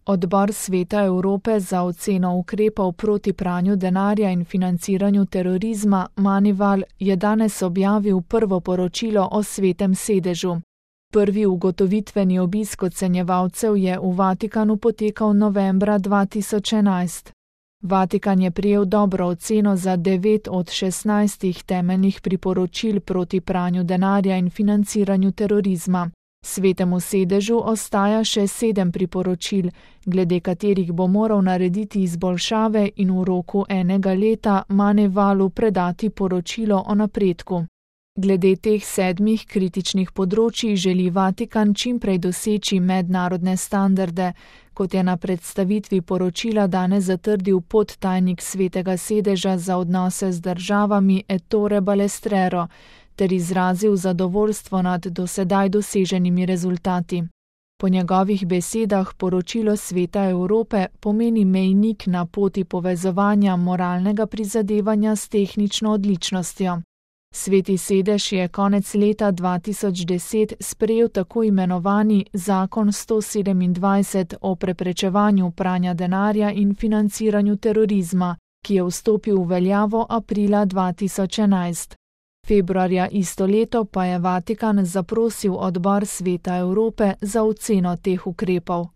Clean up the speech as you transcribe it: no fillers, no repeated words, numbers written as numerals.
Odbor Sveta Evrope za oceno ukrepov proti pranju denarja in financiranju terorizma Manival je danes objavil prvo poročilo o Svetem sedežu. Prvi ugotovitveni obisk ocenjevalcev je v Vatikanu potekal novembra 2011. Vatikan je prejel dobro oceno za 9 od 16 temeljnih priporočil proti pranju denarja in financiranju terorizma. Svetemu sedežu ostaja še 7 priporočil, glede katerih bo moral narediti izboljšave in v roku 1 leta Manivalu predati poročilo o napredku. Glede teh 7 kritičnih področij želi Vatikan čimprej doseči mednarodne standarde, kot je na predstavitvi poročila danes zatrdil podtajnik Svetega sedeža za odnose z državami Ettore Balestrero, ter izrazil zadovoljstvo nad dosedaj doseženimi rezultati. Po njegovih besedah poročilo Sveta Evrope pomeni mejnik na poti povezovanja moralnega prizadevanja s tehnično odličnostjo. Sveti sedež je konec leta 2010 sprejel tako imenovani Zakon 127 o preprečevanju pranja denarja in financiranju terorizma, ki je vstopil v veljavo aprila 2011. Februarja isto leto pa je Vatikan zaprosil odbor Sveta Evrope za oceno teh ukrepov.